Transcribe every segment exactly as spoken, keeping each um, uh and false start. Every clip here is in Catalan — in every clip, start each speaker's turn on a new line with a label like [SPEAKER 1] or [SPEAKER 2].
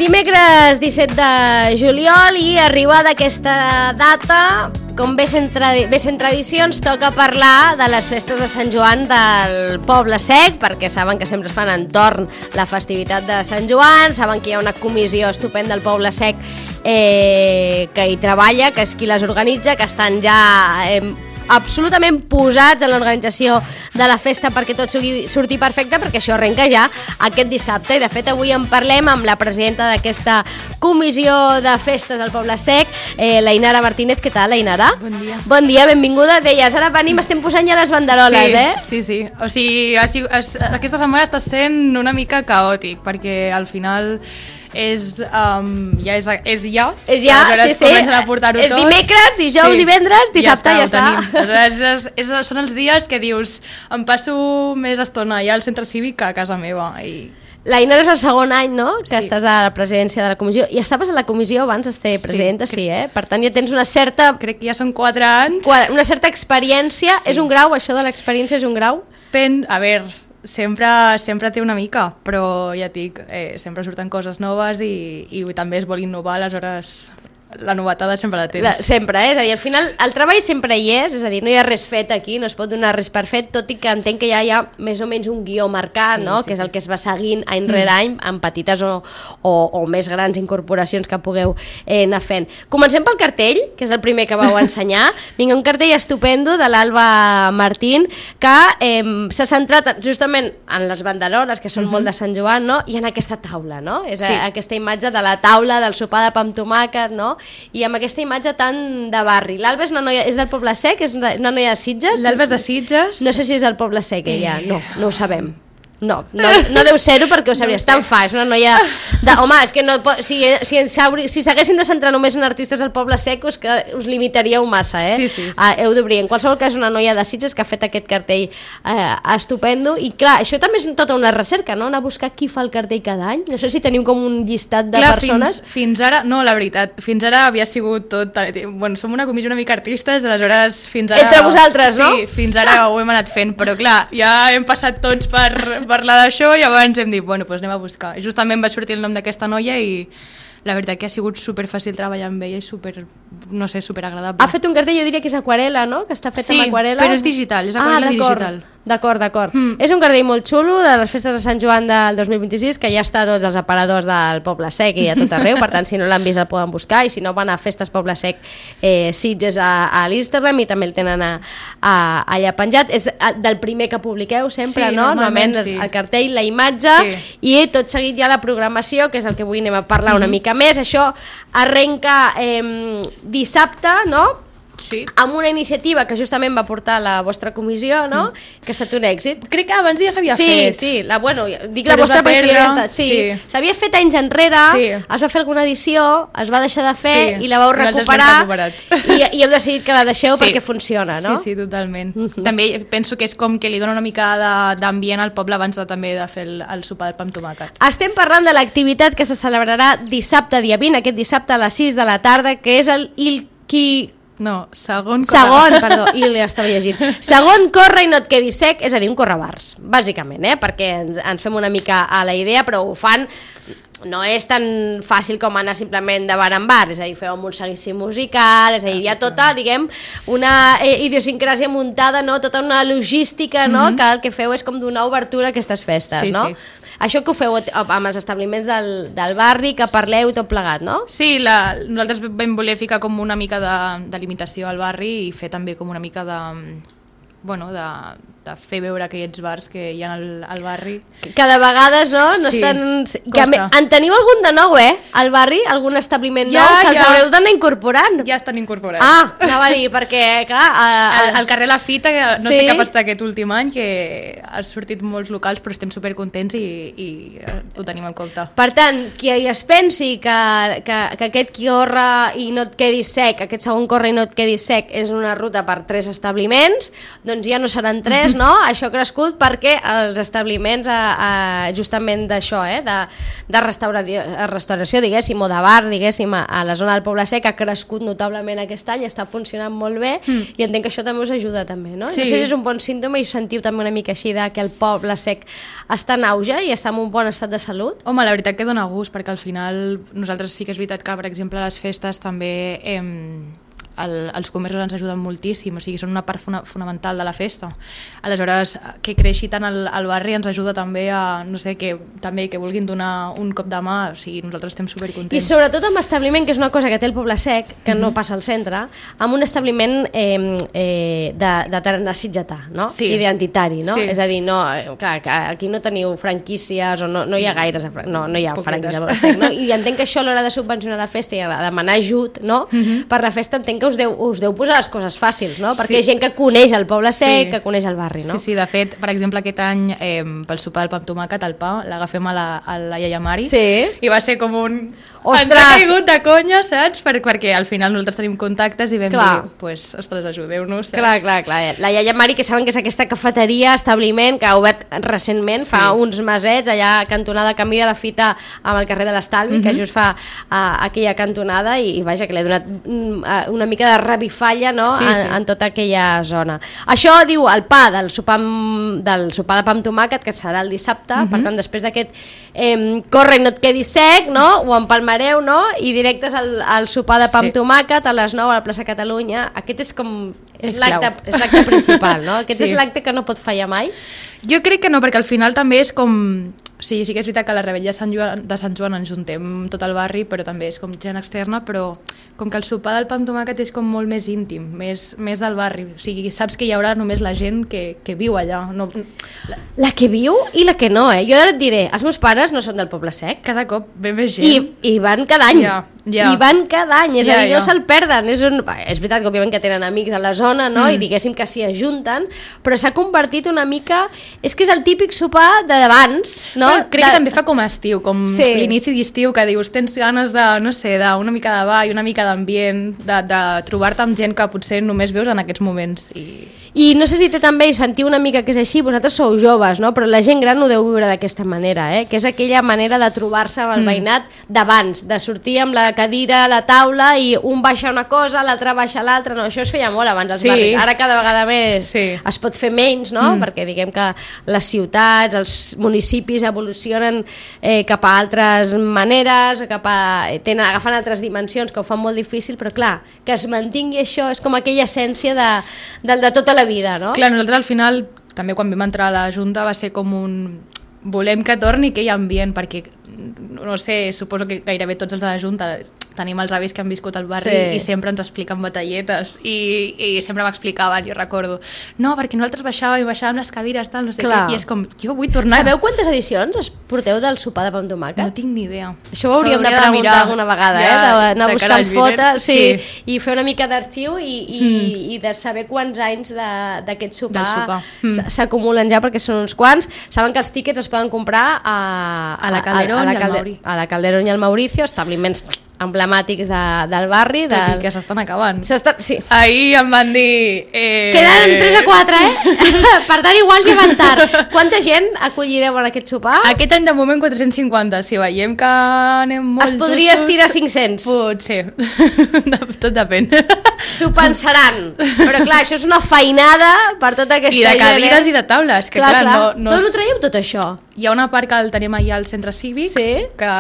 [SPEAKER 1] Dimecres disset de juliol i arribada aquesta data, com bé sent, tradi- bé sent tradicions, toca parlar de les festes de Sant Joan del Poble Sec, perquè saben que sempre es fan entorn la festivitat de Sant Joan, saben que hi ha una comissió estupenda del Poble Sec eh, que hi treballa, que és qui les organitza, que estan ja eh, absolutament posats en l'organització de la festa perquè tot surti, surti perfecte, perquè això arrenca ja aquest dissabte. I de fet avui en parlem amb la presidenta d'aquesta comissió de festes del Poble Sec, eh, la Inara Martínez. Què tal, la Inara?
[SPEAKER 2] Bon dia.
[SPEAKER 1] Bon dia, benvinguda. Deies, ara venim, estem posant ja les banderoles,
[SPEAKER 2] sí,
[SPEAKER 1] eh?
[SPEAKER 2] Sí, sí. O sigui, ha sigut, es, aquesta setmana està sent una mica caòtic, perquè al final és, um, ja és, és ja.
[SPEAKER 1] És ja, sí, sí.
[SPEAKER 2] Comencen a portar-ho
[SPEAKER 1] és
[SPEAKER 2] tot.
[SPEAKER 1] dimecres, dijous,
[SPEAKER 2] sí.
[SPEAKER 1] divendres, dissabte, ja està.
[SPEAKER 2] Ja està. Aleshores, és, és, són els dies que dius, em passo més estona allà al centre cívic que a casa meva. I...
[SPEAKER 1] La Inara és el segon any, no?, que
[SPEAKER 2] sí.
[SPEAKER 1] estàs a la presidència de la comissió. I estaves a la comissió abans de ser presidenta, sí, sí eh? Per tant, ja tens una certa...
[SPEAKER 2] Crec que ja són quatre anys.
[SPEAKER 1] Una certa experiència. Sí. És un grau, això de l'experiència és un grau?
[SPEAKER 2] Pen... A veure, sempre, sempre té una mica, però ja et dic, eh, sempre surten coses noves i, i també es vol innovar, aleshores la novetada sempre la tens.
[SPEAKER 1] La, sempre, eh? És a dir, al final el treball sempre hi és, és a dir, no hi ha res fet aquí, no es pot donar res per fet, tot i que entenc que ja hi ha més o menys un guió marcat, sí, no? Sí, que és el que es va seguint any rere mm. any, amb petites o, o, o més grans incorporacions que pugueu eh, anar fent. Comencem pel cartell, que és el primer que vau ensenyar. Vinga, un cartell estupendo de l'Alba Martín, que eh, s'ha centrat justament en les banderoles, que són mm-hmm. molt de Sant Joan, no? I en aquesta taula, no? És sí. a, aquesta imatge de la taula del sopar de pa amb tomàquet, no? I amb aquesta imatge tan de barri. L'Alba és, una noia, és del Poble Sec? És una noia de Sitges?
[SPEAKER 2] L'Alba és de Sitges.
[SPEAKER 1] No sé si és del Poble Sec, ella. No, no ho sabem. No, no, no deu ser-ho perquè ho sabries. No tan fa, és una noia... De, home, és que no, si, si, si s'haguessin de centrar només en artistes del Poble Sec, us, que us limitaríeu massa, eh?
[SPEAKER 2] Sí, sí.
[SPEAKER 1] Uh, heu d'obrir. En qualsevol cas, una noia de Sitges que ha fet aquest cartell eh, estupendo. I clar, això també és tota una recerca, no? Anar a buscar qui fa el cartell cada any. No sé si teniu com un llistat de clar, persones.
[SPEAKER 2] Fins, fins ara, no, la veritat, fins ara havia sigut tot... Bueno, som una comissió una mica artistes, aleshores fins ara...
[SPEAKER 1] Entre vosaltres, no?
[SPEAKER 2] Sí, fins ara ho hem anat fent, però clar, ja hem passat tots per... parlar d'això i abans hem dit, bueno, doncs anem a buscar. Justament va sortir el nom d'aquesta noia i la veritat que ha sigut super fàcil treballar amb ella i super, no sé, super agradable.
[SPEAKER 1] Ha fet un cartell, jo diria que és aquarela, no? Que està fet
[SPEAKER 2] sí,
[SPEAKER 1] amb aquarela.
[SPEAKER 2] Sí, però és digital, és aquarela
[SPEAKER 1] ah,
[SPEAKER 2] digital.
[SPEAKER 1] D'acord, d'acord. Mm. És un cartell molt xulo de les festes de Sant Joan del dos mil vint-i-sis, que ja està a tots els aparadors del Poble Sec i a tot arreu, per tant, si no l'han vist el poden buscar, i si no van a Festes Poble Sec eh, Sitges a, a l'Instagram i també el tenen a, a, allà penjat. És del primer que publiqueu sempre,
[SPEAKER 2] sí,
[SPEAKER 1] no?
[SPEAKER 2] Normalment, sí.
[SPEAKER 1] El cartell, la imatge, sí. I tot seguit ja la programació, que és el que avui anem a parlar mm-hmm. una mica més. Això arrenca eh, dissabte, no?
[SPEAKER 2] Sí.
[SPEAKER 1] Amb una iniciativa que justament va portar la vostra comissió, no? Mm. Que ha estat un èxit.
[SPEAKER 2] Crec que abans ja s'havia
[SPEAKER 1] sí,
[SPEAKER 2] fet.
[SPEAKER 1] Sí, la, bueno, dic
[SPEAKER 2] però
[SPEAKER 1] la vostra perquè jo ja està. Sí,
[SPEAKER 2] sí.
[SPEAKER 1] S'havia fet anys enrere, sí. Es va fer alguna edició, es va deixar de fer sí. I la vau recuperar i, i heu decidit que la deixeu sí. Perquè funciona, no?
[SPEAKER 2] Sí, sí, totalment. Mm-hmm. També penso que és com que li dona una mica d'ambient al poble abans de, també de fer el, el sopar del pa amb tomàquet.
[SPEAKER 1] Estem parlant de l'activitat que se celebrarà dissabte, dia vint, aquest dissabte a les sis de la tarda, que és el Ilki...
[SPEAKER 2] No, segon corre...
[SPEAKER 1] Segon, perdó, i l'estava llegint. Segon corre i no et quedis sec, és a dir, un correbars, bàsicament, eh? Perquè ens, ens fem una mica a la idea, però ho fan... No és tan fàcil com anar simplement de bar en bar, és a dir, feu amb un seguici musical, és a dir, hi ha tota, diguem, una eh, idiosincràsia muntada, no? Tota una logística, no? Mm-hmm. Que el que feu és com donar obertura a aquestes festes,
[SPEAKER 2] sí,
[SPEAKER 1] no?
[SPEAKER 2] Sí.
[SPEAKER 1] Això que ho feu amb els establiments del, del barri, que parleu tot plegat, no?
[SPEAKER 2] Sí, la, nosaltres vam voler ficar com una mica de, de limitació al barri i fer també com una mica de... bueno, de, de fer veure aquells bars que hi ha al, al barri.
[SPEAKER 1] Que de vegades, no? no
[SPEAKER 2] sí,
[SPEAKER 1] estan... que me... En teniu algun de nou, eh? Al barri? Algun establiment ja, nou? Que els ja. haureu d'anar incorporant?
[SPEAKER 2] Ja estan incorporats.
[SPEAKER 1] Ah, anava a dir, perquè, clar... A, a...
[SPEAKER 2] Al, al carrer La Fita, que no sí? sé què ha passat aquest últim any, que ha sortit molts locals, però estem supercontents i, i ho tenim en compte.
[SPEAKER 1] Per tant, qui es pensi que, que, que aquest qui corre i no et quedi sec, aquest segon corre i no et quedi sec, és una ruta per tres establiments, doncs ja no seran tres, no? Això ha crescut perquè els establiments a, a, justament d'això, eh? de, de restauració, restauració, diguéssim, o de bar, diguéssim, a, a la zona del Poble Sec ha crescut notablement aquest any, està funcionant molt bé mm. i entenc que això també us ajuda també, no? Sí. No sé si és un bon símptoma i us sentiu també una mica així de que el Poble Sec està en auge i està en un bon estat de salut?
[SPEAKER 2] Home, la veritat que dona gust, perquè al final nosaltres sí que és veritat que, per exemple, a les festes també... Eh, El, els comerços ens ajuden moltíssim, o sigui, són una part funa, fonamental de la festa. Aleshores, que creixi tant el, el barri ens ajuda també a, no sé, que també que vulguin donar un cop de mà, o sigui, nosaltres estem supercontents.
[SPEAKER 1] I sobretot amb establiment, que és una cosa que té el Poble Sec, que mm-hmm. no passa al centre, amb un establiment eh, eh, de, de tarannà sitgetà, no? Sí. Identitari, no? Sí. És a dir, no, clar, que aquí no teniu franquícies o no, no hi ha gaires, no, no hi ha franquícies al Poble Sec, no? I entenc que això a l'hora de subvencionar la festa i de demanar ajut, no? Mm-hmm. Per la festa entenc que us deu, us deu posar les coses fàcils, no? Perquè sí. hi ha gent que coneix el Poble Sec, sí. que coneix el barri, no?
[SPEAKER 2] Sí, sí, de fet, per exemple, aquest any eh, pel sopar del pa amb tomàquet, el pa, l'agafem a la, a la iaia Mari,
[SPEAKER 1] sí.
[SPEAKER 2] i va ser com un...
[SPEAKER 1] Ostres!
[SPEAKER 2] Ens ha caigut de conya, saps? Per, perquè al final nosaltres tenim contactes i vam clar. dir, pues, ostres, ajudeu-nos, saps?
[SPEAKER 1] Clar, clar, clar. La iaia Mari, que saben que és aquesta cafeteria, establiment, que ha obert recentment, sí. fa uns mesets, allà a cantonada Camí de la Fita amb el carrer de l'Estalvi, mm-hmm. que just fa uh, aquella cantonada i, i vaja, que li ha donat uh, una mica de revifalla, no? Sí, sí. En, en tota aquella zona. Això diu el pa del sopar, del sopar de pa amb tomàquet, que serà el dissabte, mm-hmm. per tant, després d'aquest eh, corre i no et quedi sec, no? Ho empalmareu, no? I directes al, al sopar de pa amb sí. tomàquet a les nou a la plaça Catalunya. Aquest és com... És l'acte principal, no? Aquest sí. és l'acte que no pot fallar mai.
[SPEAKER 2] Jo crec que no, perquè al final també és com... Sí, sí que és veritat que a la rebella de Sant Joan, de Sant Joan ens juntem tot el barri, però també és com gent externa, però com que el sopar del pa amb tomàquet és com molt més íntim, més, més del barri. O sigui, saps que hi haurà només la gent que, que viu allà. No...
[SPEAKER 1] La... la que viu i la que no, eh? Jo ara et diré, els meus pares no són del Poble Sec.
[SPEAKER 2] Cada cop ve més gent.
[SPEAKER 1] I, i van cada any.
[SPEAKER 2] Ja, ja.
[SPEAKER 1] I van cada any, és
[SPEAKER 2] ja,
[SPEAKER 1] a dir,
[SPEAKER 2] ja.
[SPEAKER 1] no se'l perden. És, un... és veritat que òbviament que tenen amics a la zona, no? Mm. I diguéssim que s'hi ajunten, però s'ha convertit una mica... És que és el típic sopar d'abans, no?
[SPEAKER 2] Però crec
[SPEAKER 1] de...
[SPEAKER 2] que també fa com a estiu, com sí. l'inici d'estiu, que dius, tens ganes de, no sé, d'una mica de ball, una mica d'ambient, de, de trobar-te amb gent que potser només veus en aquests moments. I...
[SPEAKER 1] I no sé si té també, i sentiu una mica que és així, vosaltres sou joves, no? Però la gent gran ho deu viure d'aquesta manera, eh? Que és aquella manera de trobar-se amb el mm. veïnat d'abans, de sortir amb la cadira a la taula i un baixa una cosa, l'altre baixa l'altra, no, això es feia molt abans als
[SPEAKER 2] sí.
[SPEAKER 1] barris, ara cada vegada més
[SPEAKER 2] sí.
[SPEAKER 1] es pot fer menys, no? Mm. Perquè diguem que les ciutats, els municipis evolucionen eh, cap a altres maneres, cap a, tenen, agafen altres dimensions que ho fan molt difícil, però clar, que es mantingui això és com aquella essència de, de, de tota la vida, no?
[SPEAKER 2] Clar, nosaltres al final, també quan vam entrar a la Junta va ser com un... Volem que torni aquell ambient, perquè, no sé, suposo que gairebé tots els de la Junta tenim els avis que han viscut al barri sí. i sempre ens expliquen batalletes i, i sempre m'explicaven, jo recordo no, perquè nosaltres baixàvem i baixàvem les cadires tal, no sé què, i és com, jo vull tornar.
[SPEAKER 1] Sabeu quantes edicions es porteu del sopar de pa amb tomàquet?
[SPEAKER 2] No tinc ni idea.
[SPEAKER 1] Això ho hauríem de preguntar de alguna vegada, ja, eh? d'anar buscant fotos sí, sí. i fer una mica d'arxiu i, i, mm. i de saber quants anys d'aquest sopar, sopar. Mm. s'acumulen ja, perquè són uns quants. Saben que els tíquets es poden comprar a,
[SPEAKER 2] a la Calderón
[SPEAKER 1] a, a, a la
[SPEAKER 2] i al Mauri.
[SPEAKER 1] A la Calderón i al Mauricio, establiments emblemàtics de, del barri.
[SPEAKER 2] Tot del... i que s'estan acabant.
[SPEAKER 1] Sí.
[SPEAKER 2] Ahir em van dir... Eh...
[SPEAKER 1] Queden tres a quatre, eh? Per tant, igual que van tard. Quanta gent acollireu en aquest sopar?
[SPEAKER 2] Aquest any de moment quatre-cents cinquanta. Si veiem que anem molt justos...
[SPEAKER 1] Es podria estirar cinc-cents.
[SPEAKER 2] Potser. Tot depèn.
[SPEAKER 1] S'ho pensaran. Però clar, això és una feinada per tota aquesta gent.
[SPEAKER 2] I de cadires gent, eh? I de taules. Que,
[SPEAKER 1] clar,
[SPEAKER 2] clar,
[SPEAKER 1] clar.
[SPEAKER 2] No, no...
[SPEAKER 1] D'on ho traieu tot això?
[SPEAKER 2] Hi ha una part que el tenim allà al centre cívic,
[SPEAKER 1] sí?
[SPEAKER 2] que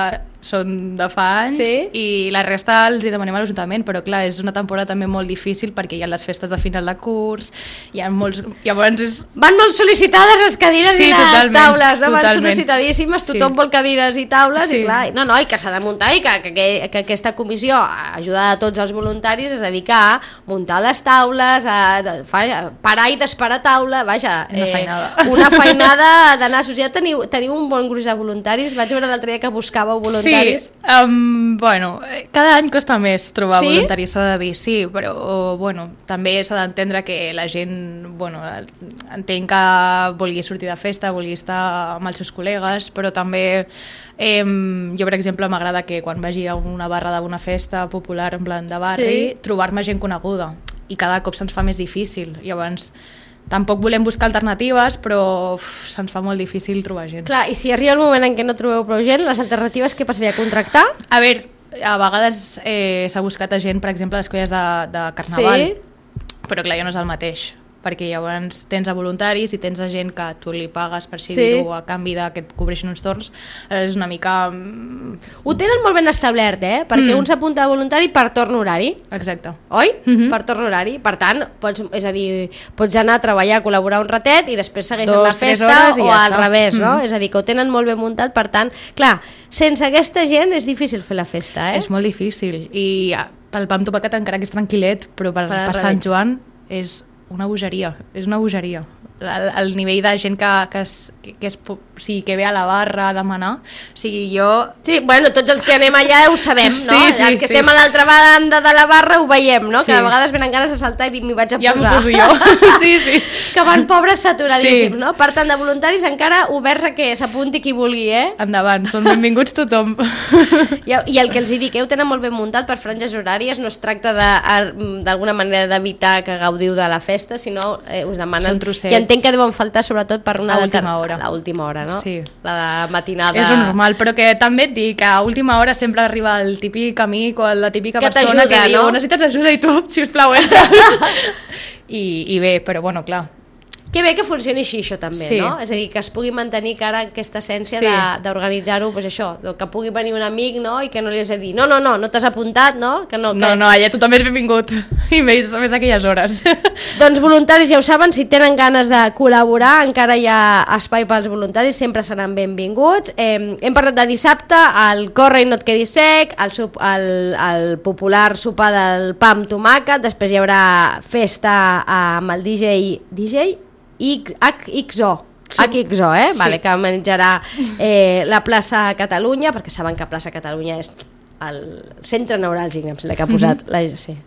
[SPEAKER 2] són de fa anys,
[SPEAKER 1] sí?
[SPEAKER 2] I la resta els hi demanem a l'Ajuntament, però clar, és una temporada també molt difícil perquè hi ha les festes de final de curs, hi ha molts... Llavors és...
[SPEAKER 1] Van molt sol·licitades les cadires
[SPEAKER 2] sí,
[SPEAKER 1] i les
[SPEAKER 2] totalment,
[SPEAKER 1] taules, no? Van
[SPEAKER 2] totalment.
[SPEAKER 1] sol·licitadíssimes, tothom sí. vol cadires i taules, sí. i clar, no, no, i que s'ha de muntar i que, que, que aquesta comissió, ajudada a tots els voluntaris, es dedica a muntar les taules, a, a parar i desparar taula, vaja,
[SPEAKER 2] una feinada,
[SPEAKER 1] eh, una feinada d'anar a ja teniu, teniu un bon gruix de voluntaris, vaig veure l'altre dia que buscàveu voluntaris.
[SPEAKER 2] Sí, um, bueno, cada any costa més trobar
[SPEAKER 1] sí?
[SPEAKER 2] voluntaris, s'ha de dir, sí, però bueno, també s'ha d'entendre que la gent, bueno, entenc que vulgui sortir de festa, vulgui estar amb els seus col·legues, però també eh, jo, per exemple, m'agrada que quan vagi a una barra d'una festa popular en plan de barri, sí? trobar-me gent coneguda, i cada cop se'ns fa més difícil, llavors tampoc volem buscar alternatives, però uf, se'ns fa molt difícil trobar gent.
[SPEAKER 1] Clar, i si arriba el moment en què no trobeu prou gent, les alternatives què passaria? Contractar?
[SPEAKER 2] A veure, a vegades eh, s'ha buscat a gent, per exemple, a les colles de, de Carnaval, sí? Però clar, ja no és el mateix, perquè llavors tens a voluntaris i tens a gent que tu li pagues, per així sí. dir-ho, a canvi de que et cobreixin uns torns, és una mica...
[SPEAKER 1] Ho tenen molt ben establert, eh? Perquè mm. un s'apunta a voluntari per torn horari.
[SPEAKER 2] Exacte.
[SPEAKER 1] Oi?
[SPEAKER 2] Mm-hmm.
[SPEAKER 1] Per torn horari. Per tant, pots, és a dir, pots anar a treballar, a col·laborar un ratet i després segueixen Dos, la festa o ja al està. revés, mm. no? És a dir, que ho tenen molt ben muntat, per tant, clar, sense aquesta gent és difícil fer la festa, eh?
[SPEAKER 2] És molt difícil. I el Pam Topacat encara que és tranquil·let, però per, per, per Sant Joan és una bogeria, és una bogeria. El, el nivell de gent que, que, es, que, que, es, o sigui, que ve a la barra a demanar, o sigui, jo...
[SPEAKER 1] Sí, bueno, tots els que anem allà ho sabem, no?
[SPEAKER 2] Sí, sí,
[SPEAKER 1] els que
[SPEAKER 2] sí.
[SPEAKER 1] estem a l'altra banda de la barra ho veiem, no?
[SPEAKER 2] Sí.
[SPEAKER 1] Que a vegades venen ganes de saltar i dir, m'hi vaig a
[SPEAKER 2] ja
[SPEAKER 1] posar.
[SPEAKER 2] Ja m'ho poso jo, sí, sí.
[SPEAKER 1] Que van pobres saturadíssims,
[SPEAKER 2] sí.
[SPEAKER 1] no? Per tant, de voluntaris encara oberts a que s'apunti qui vulgui, eh?
[SPEAKER 2] Endavant, són benvinguts tothom.
[SPEAKER 1] I, I el que els hi dic, eh, ho tenen molt ben muntat per franges horàries, no es tracta d'alguna manera d'evitar que gaudiu de la festa, sinó eh, us demanen... I entenc que deuen faltar sobretot per una...
[SPEAKER 2] A última hora.
[SPEAKER 1] A última hora, no?
[SPEAKER 2] Sí.
[SPEAKER 1] La de matinada...
[SPEAKER 2] És normal, però que també et dic que a última hora sempre arriba el típic amic o la típica
[SPEAKER 1] que
[SPEAKER 2] persona que diu,
[SPEAKER 1] no?
[SPEAKER 2] necessites ajuda i tu, sisplau, entra. I, I bé, però bueno, clar.
[SPEAKER 1] Que bé que funcioni així, això també,
[SPEAKER 2] sí.
[SPEAKER 1] no? És a dir, que es pugui mantenir cara aquesta essència
[SPEAKER 2] sí.
[SPEAKER 1] d'organitzar-ho, pues això, que pugui venir un amic, no?, i que no li has de dir, no, no, no, no t'has apuntat, no? Que no, que...
[SPEAKER 2] no, no, allà tothom és benvingut, i més, més aquelles hores.
[SPEAKER 1] Doncs voluntaris, ja ho saben, si tenen ganes de col·laborar, encara hi ha espai pels voluntaris, sempre seran benvinguts. Eh, hem parlat de dissabte, el Corre i no et quedis sec, el, el, el popular sopar del pa amb tomàquet, després hi haurà festa amb el D J... D J? H X O, sí. H X O, eh? Vale, sí. Que menjarà eh, la plaça Catalunya, perquè saben que plaça Catalunya és el centre neuràlgic, em sembla que ha posat... Mm-hmm. la, sí.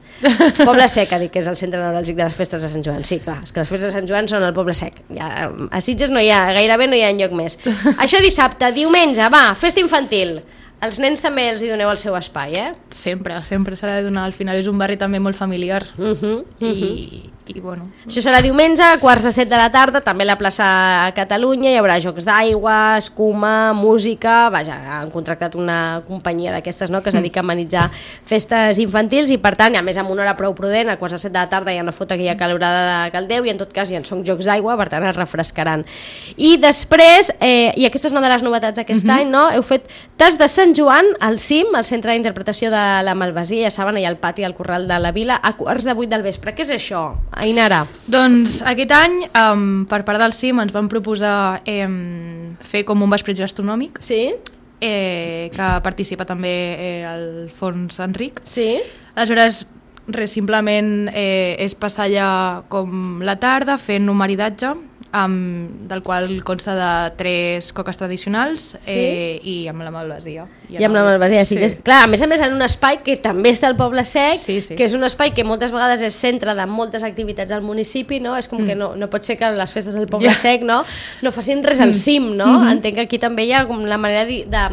[SPEAKER 1] Poble Sec, ha dit que és el centre neuràlgic de les festes de Sant Joan. Sí, clar, és que les festes de Sant Joan són el Poble Sec. Ja, a Sitges no hi ha, gairebé no hi ha enlloc més. Això dissabte, diumenge, va, festa infantil. Els nens també els hi doneu el seu espai, eh?
[SPEAKER 2] Sempre, sempre s'ha de donar. Al final és un barri també molt familiar.
[SPEAKER 1] Uh-huh, uh-huh.
[SPEAKER 2] I, i bueno...
[SPEAKER 1] Això serà diumenge, quarts de set de la tarda, també a la plaça Catalunya, hi haurà jocs d'aigua, escuma, música... Vaja, han contractat una companyia d'aquestes, no?, que es dedica a amenitzar festes infantils i, per tant, a més amb una hora prou prudent, a quarts de set de la tarda ja no fot aquella calorada de caldeu i en tot cas ja en són jocs d'aigua, per tant es refrescaran. I després, eh, i aquesta és una de les novetats d'aquest uh-huh. any, no?, heu fet tas de Sant Joan al C I M, al Centre d'Interpretació de la Malvasia, ja saben, allà al pati del Corral de la Vila, a quarts de vuit del vespre. Què és això, Ainara?
[SPEAKER 2] Doncs aquest any, um, per part del C I M, ens van proposar eh, fer com un vespretge gastronòmic,
[SPEAKER 1] sí?
[SPEAKER 2] eh, que participa també eh, el Fons Enric.
[SPEAKER 1] Sí.
[SPEAKER 2] Aleshores, res, simplement eh, és passar allà com la tarda fent un maridatge, Um, del qual consta de tres coques tradicionals, sí? eh, i amb la malvasia.
[SPEAKER 1] I, I amb la malvasia, sí. sí. Clar, a més a més en un espai que també està al Poble Sec,
[SPEAKER 2] sí, sí.
[SPEAKER 1] que és un espai que moltes vegades és centre de moltes activitats del municipi, no? És com mm. que no, no pot ser que les festes del Poble yeah. Sec no, no facin res al cim, no? Mm-hmm. Entenc que aquí també hi ha com la manera de, de,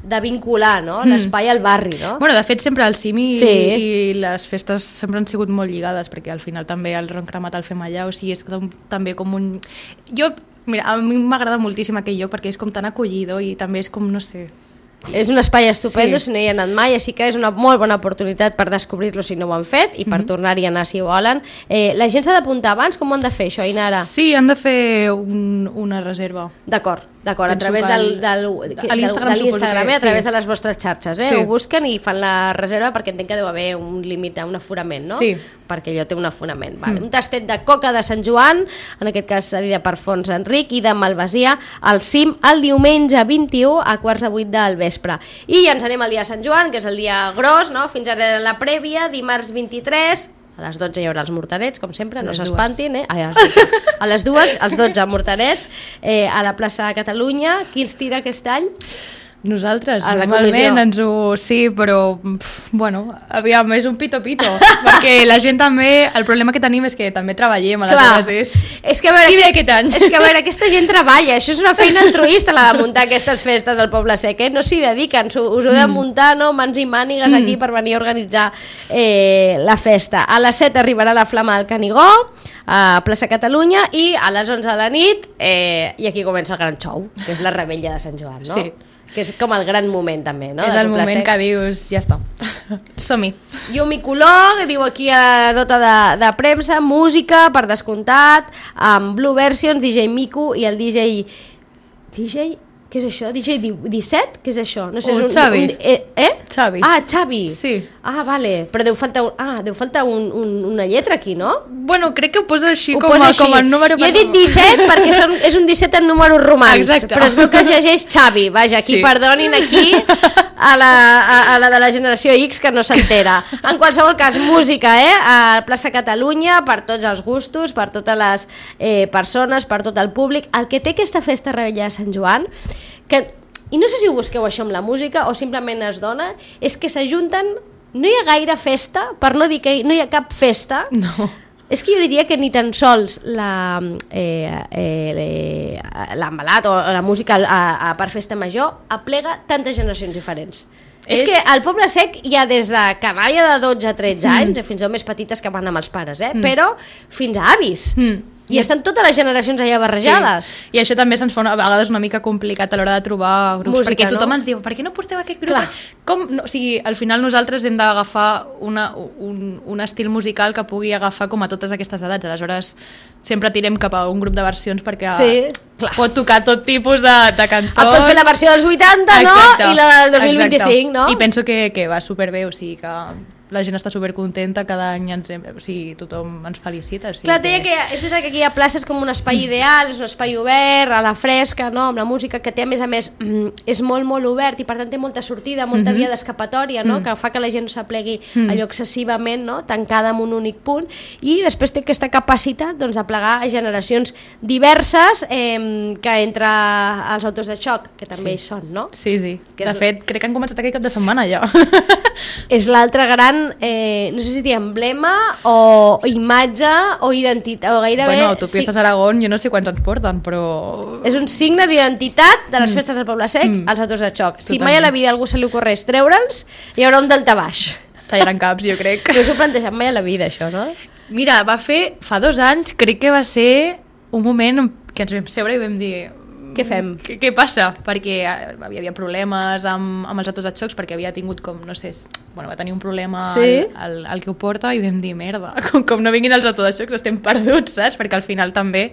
[SPEAKER 1] de vincular, no?, mm. l'espai al barri, no?
[SPEAKER 2] Bueno, de fet sempre al cim i,
[SPEAKER 1] sí.
[SPEAKER 2] i les festes sempre han sigut molt lligades, perquè al final també el ron cremat el fem allà, o sigui, és com, també com un... Jo, mira, a mi m'agrada moltíssim aquell lloc perquè és com tan acollidor i també és com, no sé...
[SPEAKER 1] És un espai estupendo,
[SPEAKER 2] sí.
[SPEAKER 1] si no hi ha anat mai, així que és una molt bona oportunitat per descobrir-lo si no ho han fet i per mm-hmm. tornar-hi a anar si ho volen. Eh, la gent s'ha d'apuntar abans? Com ho han de fer això, Ainara?
[SPEAKER 2] Sí, han de fer un, una reserva.
[SPEAKER 1] D'acord. D'acord, a través del, del, del,
[SPEAKER 2] a l'Instagram,
[SPEAKER 1] de l'Instagram,
[SPEAKER 2] que,
[SPEAKER 1] eh, a través
[SPEAKER 2] sí.
[SPEAKER 1] de les vostres xarxes, eh?
[SPEAKER 2] Sí.
[SPEAKER 1] Ho busquen i fan la reserva perquè entenc que deu haver un límit, un aforament, no?
[SPEAKER 2] Sí.
[SPEAKER 1] Perquè allò té un aforament. Vale. Mm. Un tastet de coca de Sant Joan, en aquest cas cedida per Fons Enric, i de Malvasia, al cim, el diumenge vint-i-u a quarts de vuit del vespre. I ens anem al dia de Sant Joan, que és el dia gros, no? Fins ara la prèvia, dimarts vint-i-tres, a les dotze hi haurà els morterets, com sempre, no s'espantin, eh? Ai, a, les dotze. A les dues, als dotze morterets, eh, a la plaça de Catalunya. Qui els tira aquest any?
[SPEAKER 2] Nosaltres,
[SPEAKER 1] a la
[SPEAKER 2] normalment ens ho... Sí, però, pf, bueno, aviam, és un pito-pito, perquè la gent també... El problema que tenim és que també treballem, aleshores és...
[SPEAKER 1] És que a veure,
[SPEAKER 2] I bé aquest any.
[SPEAKER 1] És que a veure, aquesta gent treballa, això és una feina altruista, la de muntar aquestes festes al Poble Sec, eh? No s'hi dediquen, us heu de muntar, no?, mans i mànigues aquí per venir a organitzar eh, la festa. A les set arribarà la Flama del Canigó, a plaça Catalunya, i a les onze de la nit, eh, i aquí comença el gran show, que és la revetlla de Sant Joan, no?
[SPEAKER 2] Sí.
[SPEAKER 1] Que és com el gran moment també, no?
[SPEAKER 2] És el moment que dius, ja està, som-hi.
[SPEAKER 1] Llum i color, diu aquí a la nota de, de premsa, música, per descomptat, amb Blue Versions, D J Miku i el D J... D J... Què és això? D J disset? Què és això? No sé,
[SPEAKER 2] Oh,
[SPEAKER 1] és un,
[SPEAKER 2] Xavi.
[SPEAKER 1] Un, eh, eh?
[SPEAKER 2] Xavi.
[SPEAKER 1] Ah, Xavi.
[SPEAKER 2] Sí.
[SPEAKER 1] Ah, vale. Però deu faltar, un, ah, deu faltar un, un, una lletra aquí, no?
[SPEAKER 2] Bueno, crec que ho posa així,
[SPEAKER 1] Ho
[SPEAKER 2] com,
[SPEAKER 1] posa
[SPEAKER 2] a,
[SPEAKER 1] així.
[SPEAKER 2] com el número...
[SPEAKER 1] Jo he dit disset perquè són, és un disset en números romans.
[SPEAKER 2] Exacte.
[SPEAKER 1] Però es veu que es llegeix Xavi. Vaja, aquí
[SPEAKER 2] Sí.
[SPEAKER 1] perdonin aquí a la, a, a la de la generació X que no s'entera. En qualsevol cas, música, eh? A plaça Catalunya, per tots els gustos, per totes les eh, persones, per tot el públic. El que té aquesta festa revetlla de Sant Joan, que... I no sé si ho busqueu això amb la música o simplement es dona, és que s'ajunten, no hi ha gaire festa, per no dir que no hi ha cap festa.
[SPEAKER 2] No.
[SPEAKER 1] És que jo diria que ni tan sols la, eh, eh, l'embalat o la música a, a per festa major aplega tantes generacions diferents. És... és que al Poble Sec hi ha des de canalla de dotze a tretze anys, mm. fins a més petites que van amb els pares, eh? Mm. Però fins a avis. Mm. I estan totes les generacions allà barrejades.
[SPEAKER 2] Sí. I això també se'ns fa una, a vegades una mica complicat a l'hora de trobar grups,
[SPEAKER 1] música,
[SPEAKER 2] perquè tothom
[SPEAKER 1] no?
[SPEAKER 2] ens diu, per què no porteu aquest grup?
[SPEAKER 1] Clar.
[SPEAKER 2] Com? No, o sigui, al final nosaltres hem d'agafar una, un, un estil musical que pugui agafar com a totes aquestes edats, aleshores sempre tirem cap a un grup de versions perquè
[SPEAKER 1] sí, clar.
[SPEAKER 2] pot tocar tot tipus de, de cançons.
[SPEAKER 1] Et pot fer la versió dels vuitanta,
[SPEAKER 2] exacte,
[SPEAKER 1] no? I la del dos mil vint-i-cinc, no?
[SPEAKER 2] I penso que, que va superbé, o sigui que la gent està supercontenta, cada any ens hem, o sigui, tothom ens felicita. O sigui
[SPEAKER 1] clar, que... que és veritat que aquí hi ha places com un espai ideal, és un espai obert, a la fresca, no? Amb la música que té, a més a més, mm, és molt, molt obert i per tant té molta sortida, molta mm-hmm. via d'escapatòria, no? Mm. Que fa que la gent no s'aplegui mm. allò excessivament, no? Tancada en un únic punt, i després té aquesta capacitat, doncs, de plegar generacions diverses, eh, que entre els autors de xoc, que també sí. hi són, no?
[SPEAKER 2] Sí, sí.
[SPEAKER 1] Que
[SPEAKER 2] de
[SPEAKER 1] és...
[SPEAKER 2] fet, crec que han començat aquest cap de setmana ja.
[SPEAKER 1] És l'altre gran, eh, no sé si dir emblema o imatge o identitat, o gairebé...
[SPEAKER 2] Bueno, Autopistes sí. Aragón, jo no sé quants ens porten, però...
[SPEAKER 1] És un signe d'identitat de les
[SPEAKER 2] mm.
[SPEAKER 1] festes del Poble Sec, mm. els autors de xoc. Si
[SPEAKER 2] Totalment.
[SPEAKER 1] mai a la vida algú se li ocorreix treure'ls, hi haurà un daltabaix.
[SPEAKER 2] Tallaran caps, jo crec.
[SPEAKER 1] No s'ho plantejat mai a la vida, això, no?
[SPEAKER 2] Mira, va fer, fa dos anys, crec que va ser un moment que ens vam seure i vam dir...
[SPEAKER 1] Què fem?
[SPEAKER 2] Què, què passa? Perquè hi havia problemes amb, amb els autors de xocs, perquè havia tingut com, no sé, bueno, va tenir un problema
[SPEAKER 1] sí?
[SPEAKER 2] el, el, el que ho porta, i vam dir, merda, com, com no vinguin els autors de xocs estem perduts, saps? Perquè al final també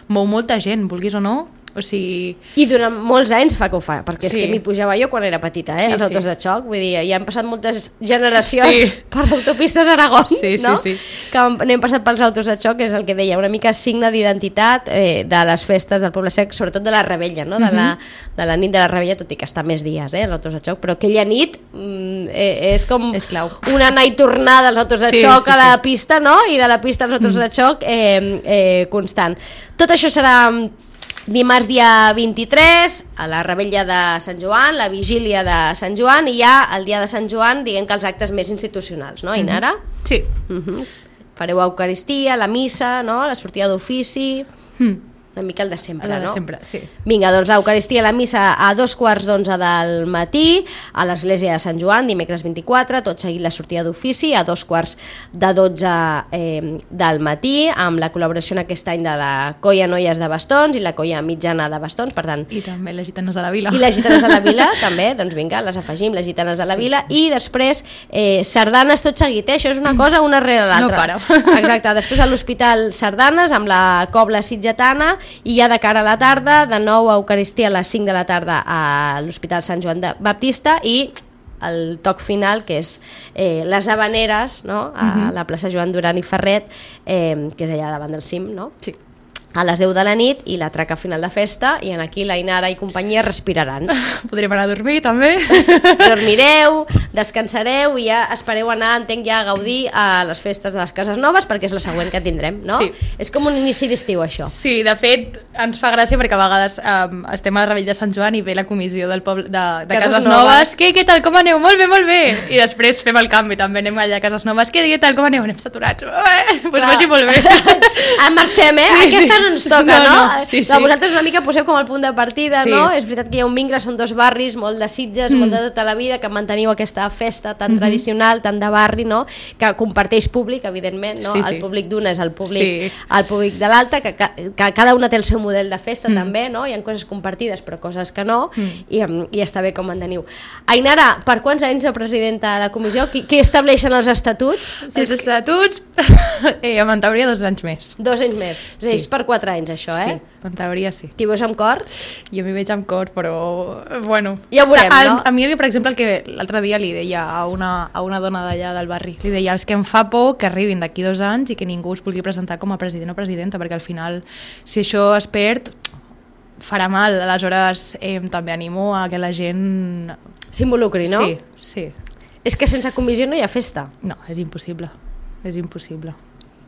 [SPEAKER 2] mou molta gent, vulguis o no. O sigui...
[SPEAKER 1] I durant molts anys fa que ho fa, perquè
[SPEAKER 2] sí.
[SPEAKER 1] és que m'hi pujava jo quan era petita, eh?
[SPEAKER 2] Sí,
[SPEAKER 1] els autors
[SPEAKER 2] sí.
[SPEAKER 1] de xoc, vull dir, ja han passat moltes generacions
[SPEAKER 2] sí.
[SPEAKER 1] per Autopistes Aragón,
[SPEAKER 2] sí,
[SPEAKER 1] no?
[SPEAKER 2] Sí, sí.
[SPEAKER 1] Que n'hem passat pels autors de xoc, és el que deia, una mica signe d'identitat eh, de les festes del Poble Sec, sobretot de la revetlla, no? De, la, de la nit de la revetlla, tot i que està més dies, eh, els autors de xoc, però aquella nit mm, eh, és com
[SPEAKER 2] és clau.
[SPEAKER 1] Una anar i tornar dels autors de sí, xoc sí, a la sí. pista, no? I de la pista als autors mm. de xoc eh, eh, constant. Tot això serà dimarts dia vint-i-tres, a la revetlla de Sant Joan, la vigília de Sant Joan, i ja el dia de Sant Joan, diguem que els actes més institucionals, no, Ainara?
[SPEAKER 2] Mm-hmm. Sí.
[SPEAKER 1] Mm-hmm. Fareu Eucaristia, la missa, no? La sortida d'ofici... Mm. Una mica el de sempre,
[SPEAKER 2] el de
[SPEAKER 1] no?
[SPEAKER 2] sempre, sí.
[SPEAKER 1] Vinga, doncs l'Eucaristia, la missa a dos quarts d'onze del matí a l'església de Sant Joan, dimecres vint-i-quatre, tot seguit la sortida d'ofici a dos quarts de dotze eh, del matí, amb la col·laboració en aquest any de la Colla Noies de Bastons i la Colla Mitjana de Bastons, per tant...
[SPEAKER 2] I també les Gitanes de la Vila.
[SPEAKER 1] I les Gitanes de la Vila, també, doncs vinga, les afegim, les Gitanes de la Vila, sí. I després eh, sardanes tot seguit, eh? Això és una cosa una rere l'altra.
[SPEAKER 2] No para.
[SPEAKER 1] Exacte, després a l'Hospital Sardanes, amb la Cobla Sitgetana, i ja de cara a la tarda, de nou a Eucaristia a les cinc de la tarda a l'Hospital Sant Joan de Baptista i el toc final, que és eh, les Havaneres, no? A uh-huh. la plaça Joan Duran i Ferret, eh, que és allà davant del cim, no?
[SPEAKER 2] Sí.
[SPEAKER 1] A les deu de la nit i la traca final de festa, i en aquí la Inara i companyia respiraran.
[SPEAKER 2] Podríem anar a dormir també.
[SPEAKER 1] Dormireu, descansareu i ja espereu anar, entenc, ja a gaudir a les festes de les Cases Noves, perquè és la següent que tindrem, no?
[SPEAKER 2] Sí.
[SPEAKER 1] És com un inici d'estiu, això.
[SPEAKER 2] Sí, de fet ens fa gràcia perquè a vegades um, estem a la Rebell de Sant Joan i ve la comissió del poble de, de Cases, Cases Noves. Noves. Què, què tal, com aneu? Molt bé, molt bé. I després fem el canvi, també anem allà a Cases Noves. Què, què tal, com aneu? Anem saturats. Eh, doncs vagi molt bé.
[SPEAKER 1] En marxem, eh? Sí, aquesta sí. no ens toca, no?
[SPEAKER 2] no?
[SPEAKER 1] no?
[SPEAKER 2] Sí, sí.
[SPEAKER 1] No, vosaltres una mica poseu com el punt de partida, sí. no? És veritat que hi ha un vincle, són dos barris, molt de Sitges, mm. molt de tota la vida, que manteniu aquesta festa tan mm-hmm. tradicional, tan de barri, no? Que comparteix públic, evidentment, no? Sí, sí. El públic d'una és el públic, sí. el públic de l'altra, que, que, que cada una té el seu model de festa, mm. també, no? Hi ha coses compartides, però coses que no, mm. i, i està bé com manteniu. Ainara, per quants anys de presidenta de la comissió? Qui, qui estableixen els estatuts?
[SPEAKER 2] Si els estatuts, eh, en teoria dos anys més.
[SPEAKER 1] Dos anys més. És a dir, és per quatre anys, això, eh?
[SPEAKER 2] Sí, en teoria sí.
[SPEAKER 1] T'hi veus amb cor?
[SPEAKER 2] Jo m'hi veig amb cor, però, bueno...
[SPEAKER 1] Ja ho veurem,
[SPEAKER 2] a,
[SPEAKER 1] no?
[SPEAKER 2] A mi, per exemple, el que l'altre dia li deia a una, a una dona d'allà del barri, li deia, és que em fa por que arribin d'aquí dos anys i que ningú es vulgui presentar com a president o presidenta, perquè al final, si això es perd, farà mal. Aleshores, eh, també animo a que la gent...
[SPEAKER 1] s'involucri, no?
[SPEAKER 2] Sí, sí.
[SPEAKER 1] És que sense comissió no hi ha festa.
[SPEAKER 2] No, és impossible, és impossible.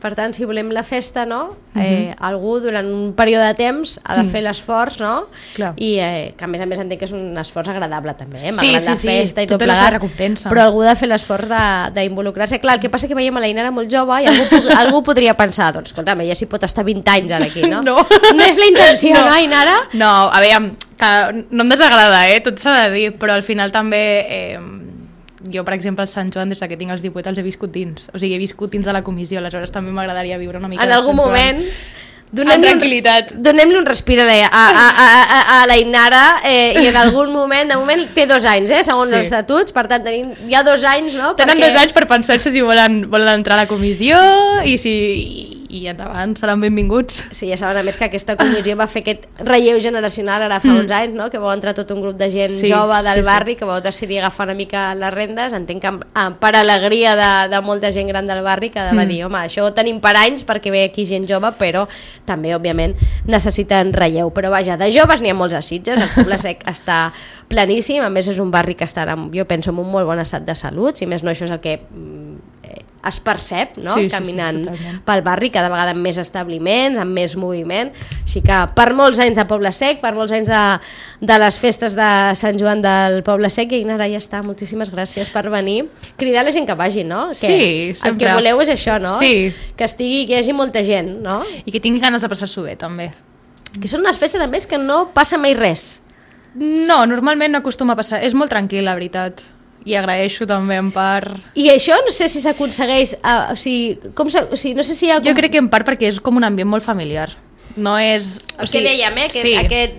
[SPEAKER 1] Per tant, si volem la festa, no? Eh, uh-huh. Algú durant un període de temps ha de fer l'esforç, no?
[SPEAKER 2] Clar.
[SPEAKER 1] I eh, que a més a més entenc que és un esforç agradable també, eh?
[SPEAKER 2] Sí,
[SPEAKER 1] Malgrat
[SPEAKER 2] sí,
[SPEAKER 1] la
[SPEAKER 2] sí,
[SPEAKER 1] festa i tot
[SPEAKER 2] tota
[SPEAKER 1] plegat,
[SPEAKER 2] la recompensa.
[SPEAKER 1] Però algú ha de fer l'esforç d'involucrar-se. Clar, el que passa que veiem a la Inara molt jove i algú, algú podria pensar, doncs escolta'm, ella s'hi pot estar vint anys ara aquí, no?
[SPEAKER 2] No.
[SPEAKER 1] No és la intenció, no, no Inara?
[SPEAKER 2] No, a veure, que no em desagrada, eh? Tot s'ha de dir, però al final també... Eh, jo, per exemple, al Sant Joan, des que tinc els divuit, els he viscut dins. O sigui, he viscut dins de la comissió, aleshores també m'agradaria viure una mica
[SPEAKER 1] en
[SPEAKER 2] de
[SPEAKER 1] algun
[SPEAKER 2] Sant Joan.
[SPEAKER 1] moment... Donem-li
[SPEAKER 2] amb tranquil·litat.
[SPEAKER 1] Un, donem-li un respir a la, a, a, a, a la Inara eh, i en algun moment, de moment té dos anys, eh, segons sí. els estatuts, per tant tenim ja dos anys, no?
[SPEAKER 2] Tenen
[SPEAKER 1] perquè...
[SPEAKER 2] dos anys per pensar-se si volen, volen entrar a la comissió i si... i endavant, seran benvinguts.
[SPEAKER 1] Sí, ja saben a més que aquesta comissió va fer aquest relleu generacional ara fa mm. uns anys, no? Que va entrar tot un grup de gent sí, jove del sí, barri sí. que va decidir agafar una mica les rendes, entenc que per alegria de, de molta gent gran del barri que va mm. dir, home, això ho tenim per anys perquè ve aquí gent jove, però també, òbviament, necessiten relleu. Però vaja, de joves n'hi ha molts a Sitges, el Poble Sec està planíssim, a més és un barri que està, jo penso, en un molt bon estat de salut, si més no això és el que eh, es percep, no? Sí, caminant sí, sí, pel barri, cada vegada amb més establiments, amb més moviment, així que per molts anys de Poble Sec, per molts anys de, de les festes de Sant Joan del Poble Sec, i ara ja està, moltíssimes gràcies per venir, cridar la gent que vagi, no? Que
[SPEAKER 2] sí, sempre.
[SPEAKER 1] El que voleu és això, no?
[SPEAKER 2] Sí.
[SPEAKER 1] Que estigui, que hi hagi molta gent, no?
[SPEAKER 2] I que tingui ganes de passar-s'ho bé, també.
[SPEAKER 1] Que són unes festes, a més, que no passa mai res.
[SPEAKER 2] No, normalment no acostuma a passar, és molt tranquil, la veritat. I agraeixo també en part...
[SPEAKER 1] I això no sé si s'aconsegueix... Uh, o sigui, com o sigui, no sé si hi ha... Com...
[SPEAKER 2] Jo crec que en part perquè és com un ambient molt familiar. No és...
[SPEAKER 1] El o sigui, que dèiem, eh? Que sí. aquest,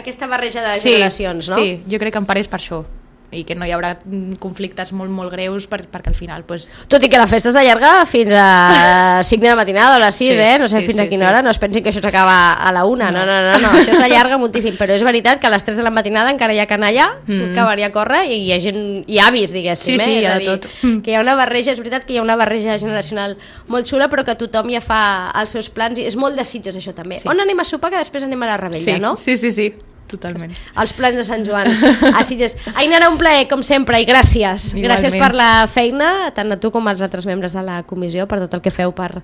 [SPEAKER 1] aquesta barreja de
[SPEAKER 2] sí,
[SPEAKER 1] generacions, no?
[SPEAKER 2] Sí, jo crec que en part és per això. I que no hi haurà conflictes molt, molt greus per, perquè al final... Pues...
[SPEAKER 1] Tot i que la festa s'allarga fins a cinc de la matinada o a les sis, sí, eh? No sé sí, fins sí, a quina sí. hora, no es pensin que això s'acaba a la una, no, no, no, no, no. Això s'allarga moltíssim, però és veritat que a les tres de la matinada encara hi ha canalla, mm. acabaria a córrer i hi ha gent, hi ha avis, diguéssim,
[SPEAKER 2] sí, sí,
[SPEAKER 1] eh?
[SPEAKER 2] hi ha
[SPEAKER 1] de
[SPEAKER 2] tot.
[SPEAKER 1] Que hi ha una barreja, és veritat que hi ha una barreja generacional molt xula, però que tothom ja fa els seus plans, i és molt de Sitges això també. Sí. On anem a sopar que després anem a la Rebella,
[SPEAKER 2] sí,
[SPEAKER 1] no?
[SPEAKER 2] Sí, sí, sí. Totalment.
[SPEAKER 1] Els plans de Sant Joan a Sitges. Ainara, un plaer, com sempre, i gràcies. Igualment. Gràcies per la feina, tant a tu com als altres membres de la comissió, per tot el que feu per,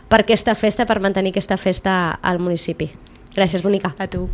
[SPEAKER 1] per aquesta festa, per mantenir aquesta festa al municipi. Gràcies, bonica.
[SPEAKER 2] A tu.